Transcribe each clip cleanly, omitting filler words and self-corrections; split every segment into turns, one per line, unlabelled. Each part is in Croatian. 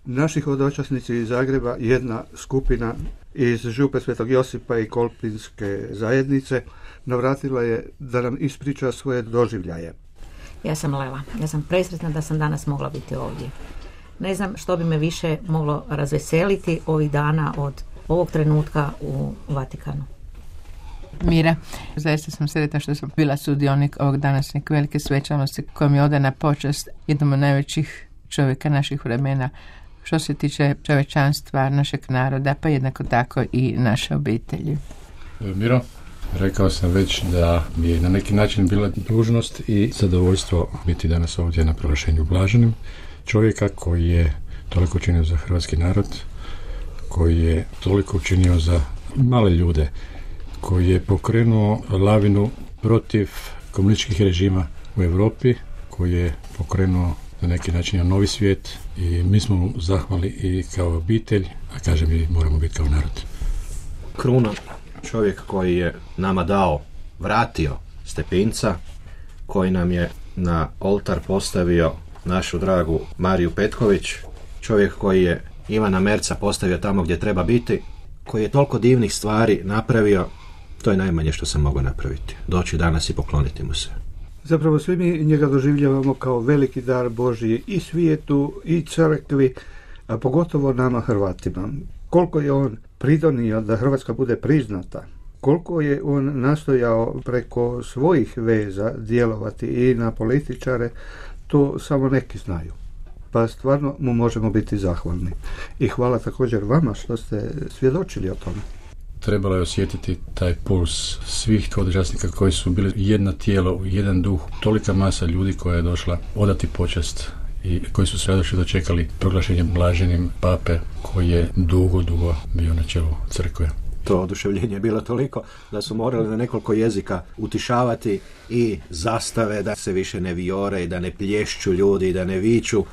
Naši hodočasnici iz Zagreba, jedna skupina iz Župe Svetog Josipa i Kolpinske zajednice, navratila je da nam ispriča svoje doživljaje.
Ja sam Lela. Ja sam presretna da sam danas mogla biti ovdje. Ne znam što bi me više moglo razveseliti ovih dana od ovog trenutka u Vatikanu.
Mira, zaista sam sretna što sam bila sudionik ovog današnjeg velike svečanosti kojom je odana počast jednom od najvećih čovjeka naših vremena što se tiče čovječanstva našeg naroda, pa jednako tako i naše obitelji.
Miro, rekao sam već da mi je na neki način bila dužnost i zadovoljstvo biti danas ovdje na proglašenju blaženim čovjeka koji je toliko učinio za hrvatski narod, koji je toliko učinio za male ljude, koji je pokrenuo lavinu protiv komunističkih režima u Europi, koji je pokrenuo na neki način novi svijet i mi smo mu zahvali i kao obitelj, a kažem i moramo biti kao narod.
Kruna, čovjek koji je nama vratio Stepinca, koji nam je na oltar postavio našu dragu Mariju Petković, čovjek koji je Ivana Merca postavio tamo gdje treba biti, koji je toliko divnih stvari napravio, to je najmanje što sam mogao napraviti. Doći danas i pokloniti mu se.
Zapravo svi mi njega doživljavamo kao veliki dar Božji i svijetu i crkvi, a pogotovo nama Hrvatima. Koliko je on pridonio da Hrvatska bude priznata, koliko je on nastojao preko svojih veza djelovati i na političare, to samo neki znaju. Pa stvarno mu možemo biti zahvalni. I hvala također vama što ste svjedočili o tome.
Trebalo je osjetiti taj puls svih hodočasnika koji su bili jedno tijelo, jedan duh, tolika masa ljudi koja je došla odati počast i koji su se radošli dočekali proglašenjem blaženim pape koji je dugo bio na čelu crkve.
To oduševljenje je bilo toliko da su morali na nekoliko jezika utišavati i zastave da se više ne vijore i da ne plješću ljudi i da ne viču,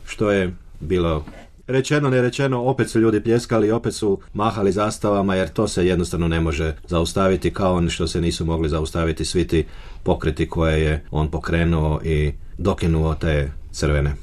što je bilo rečeno, nerečeno, opet su ljudi pljeskali, opet su mahali zastavama, jer to se jednostavno ne može zaustaviti, kao on što se nisu mogli zaustaviti svi ti pokreti koje je on pokrenuo i dokinuo te crvene